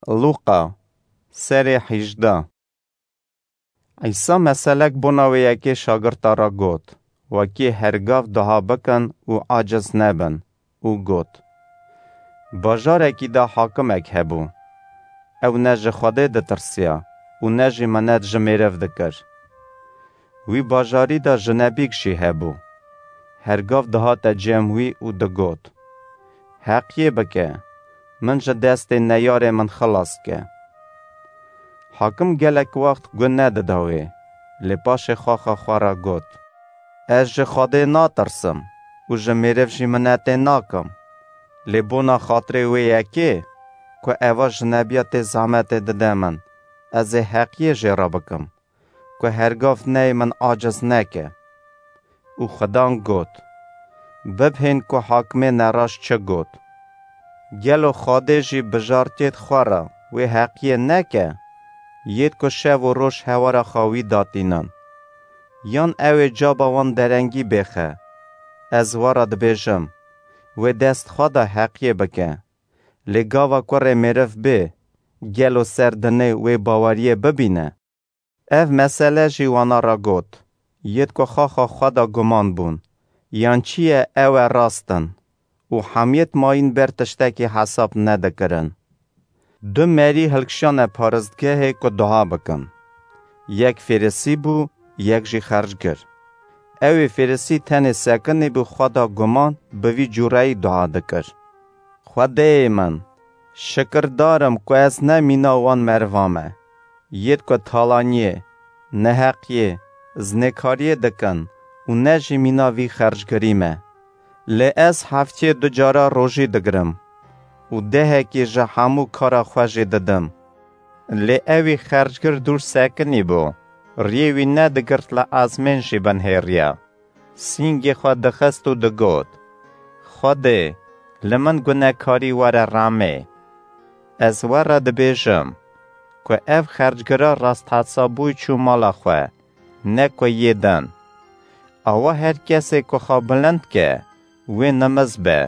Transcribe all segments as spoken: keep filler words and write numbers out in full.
Lûqa, serê hejde. Îsa meselek bona wê yekê şagirta re got, wekî hergav dua bikin û aciz nebin, û got, Bajarekî de hakimek hebû. Ew ne ji Xwedê ditirsiya û ne jî minet ji mêriv dikir. Wî bajarî de jinebîk jî hebû. Hergav dihate cem wî û digot, Heqiyê bike, min ji destê neyarê min xilas ke. Hakim gelek wext gu nedida wê, lê paşê xaxa xwe re got, Ez ji Xwedê natirsim û ji mêriv jî minetê nakim. Lê bona xatirê wê yekê ku eva jinebiya tê zehmetê dide min, ez ê heqiyê jê re bikim, ku hergav neyê min aciz neke. Û Xudan got, Bibhên ku hakimê neraşt çi got. Gelo Xwedê jî bijartiyêd xwe re wê heqiyê neke, yêd ku şev û roj hewara xwe wî datînin? Yan ew ê caba wan derengî bêxe? Ez we re dibêjim, wê dest xwe de heqiyê bike. Lê gava kurê mêriv bê, gelo ser dinê wê baweriyê bibîne? Ev mesele jî wana re got, yêd ku xaxa xwe de guman bûn, yan çi ye ew e rast in, û hemiyêd mayîn ber tiştekî hesab nedikirin. Du merî hilkişane paristgehê ku dua bikin. Yek fêrisî bû, yek jî xercgir. Ew ê fêrisî tenê sekinî bû xwe de guman bi vî cûreyî dua dikir. Xwedêyê min, şikirdar im ku ez ne mîna wan meriva me, yêd ku talaniyê, neheqiyê, zinêkariyê dikin û ne jî mîna vî xercgirî me. Lê ez heftiyê du cara rojî digirim û dehekî ji hemû kara xwe jî didim. Lê ewî xercgir dûr sekinî bû, riyê wî nedigirt li ezmên jî binhêriya. Sîngê xwe dixist û digot, Xwedê, li min gunekarî were remê. Ez we re dibêjim, ku ev xercgira rasthesabûyî çû mala xwe, ne ku yê din. Awa her kesê ku xwe bilind ke, wê nimiz be,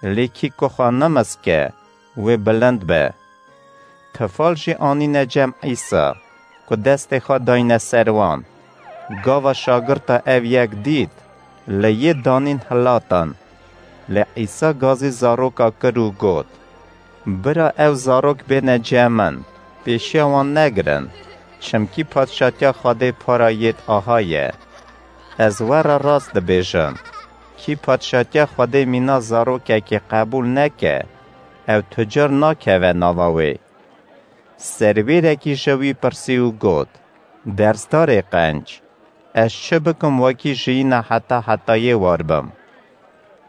lê kî ku xwe nimiz ke, wê bilind be. Tifal jî anîne cem Îsa, ku destê xwe dayne ser wan. Gava şagirta ev yek dît, li yê danîn hilatin. Lê Îsa gazî zaroka kir û got, Bira ew zarok bêne cem min, pêşiya wan negirin, çimkî padşatiya Xwedê para yêd aha ye. Ez we re rast dibêjim, kî padşatiya Xwedê mîna zarokekê qebûl neke, ew tu car nakeve nava wê. Serwêrekî ji wî pirsî û got, Dersdarê qenc, ez çi bikim wekî jiyîna heta hetayê war bim?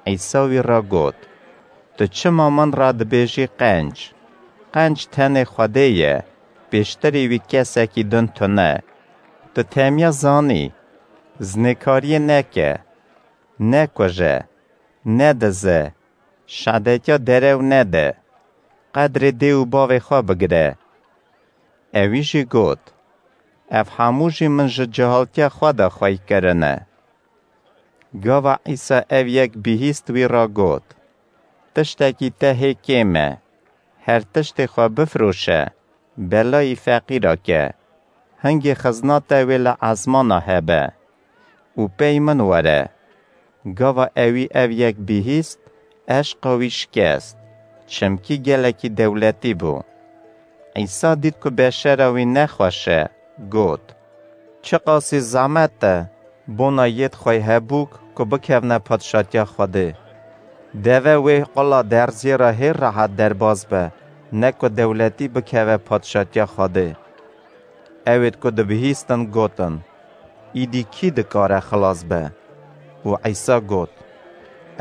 Îsa wî re got, Tu çima min re dibêjî qenc? Qenc tenê Xwedê ye, pêştirî wî kesekî din tune. Tu temiya zanî, zinêkariyê neke, nekuje, nedize, şedetiya derew nede, qedrê dê û bavê xwe bigire. Ewî jî got, Ev hemû jî min ji cehaltiya xwe de xwey kirine. Gava Îsa ev yek bihîst wî re got, Tiştekî te hê kêm e. Her tiştê xwe bifiroşe, belayî feqîra ke. Hingê xizna te wê li ezmana hebe û pey min were. Gava ewî ev yek bihîst, eşqa wî şikest, çimkî gelekî dewletî bû. Îsa dît ku beşera wî nexweş e, got, Çiqasî zehmet e bona yêd xwey hebûk ku bikevne padşatiya Xwedê. Deve wê qula derziyê re hê rehet derbas be, ne ku dewletî bikeve padşatiya Xwedê. Ewêd ku dibihîstin gotin, Îdî kî dikare xilas be? Û Îsa got,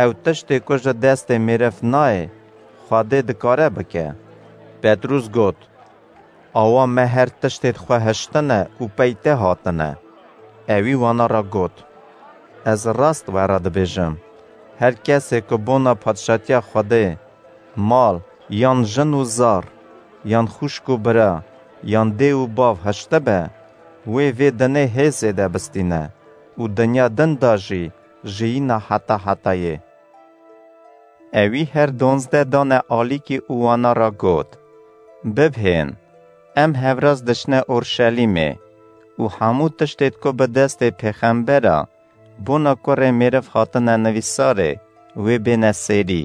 Ew tiştê ku ji destê mêriv nayê, Xwedê dikare bike. Petrûs got, Awa me her tiştê xwe hiştine û pey te hatine. Ewî wana re got, Ez rast we re dibêjim, her kesê ku bona padşatiya Xwedê mal, yan jin û zar, yan xwişk û bira, yan dê û bav hiştibe, wê vê dinê hê zêde bistîne û dinya din de jî jiyîna heta hetayê. Ewî her donzdeh dane alîkî û wana re got, Bibhên, em hevraz diçine Orşelîmê û hemû tiştê ku bi destê pêxembera bona kurê mêriv hatine nivîsarê, wê bêne sêrî.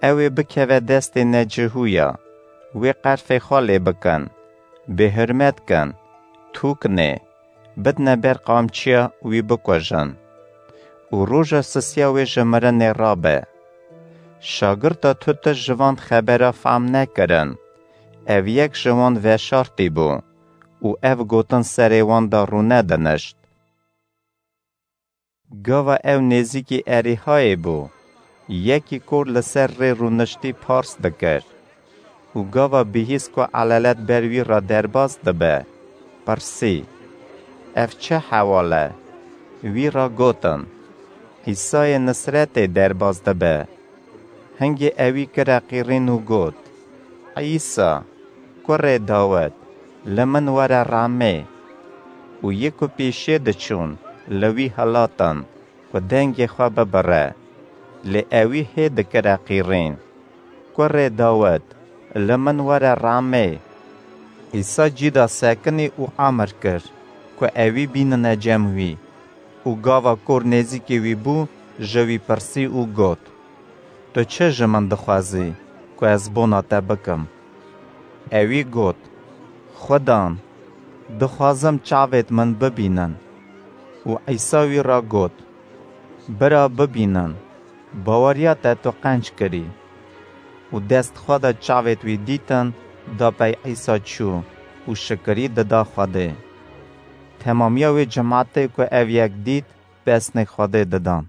Ew ê bikeve destê necihûya, wê qerfê xwe lê bikin, bêhurmet kin, tûkinê, bidne ber qamçiya wî bikujin. Û roja sisiya wê ji mirinê rabe. Şagirta tu tişt ji van xebera fehm nekirin. Ev yek ji wan veşartî bû û ev gotin serê wan de rûnedinişt. Gava ew nêzîkî Erîhayê bû, yekî kor li ser rê rûniştî pars dikir û gava bihîst ku elelet ber wî re derbas dibe, pirsî, "Ev çi hewal e?" Wî re gotin, "Îsayê Nisretê derbas dibe." Hingê ewî kire qîrîn û got, "Îsa, kurê Dawid, li min were rehmê." Û yê ku pêşiyê diçûn, li wî hilatin ku dengê xwe bibire. Lê ewî hê dikire qîrîn, "Kurê Dawid, li min were rehmê." Îsa cî da sekinî û emir kir ku ewî bînine cem wî. Û gava kor nêzîkî wî bû, ji wî pirsî û got, "Tu çi ji min dixwazî ku ez bona te bikim?" Ewî got, "Xudan, dixwazim çavêt min bibînin." Û Îsa wî re got, "Bira bibînin, baweriya te tu qenc kirî." Û dest xwe de çavêt wî dîtin, da pey Îsa çû û şikirî dida Xwedê. Temamiya wê cimatê ku ev yek dît, pesnê Xwedê didan.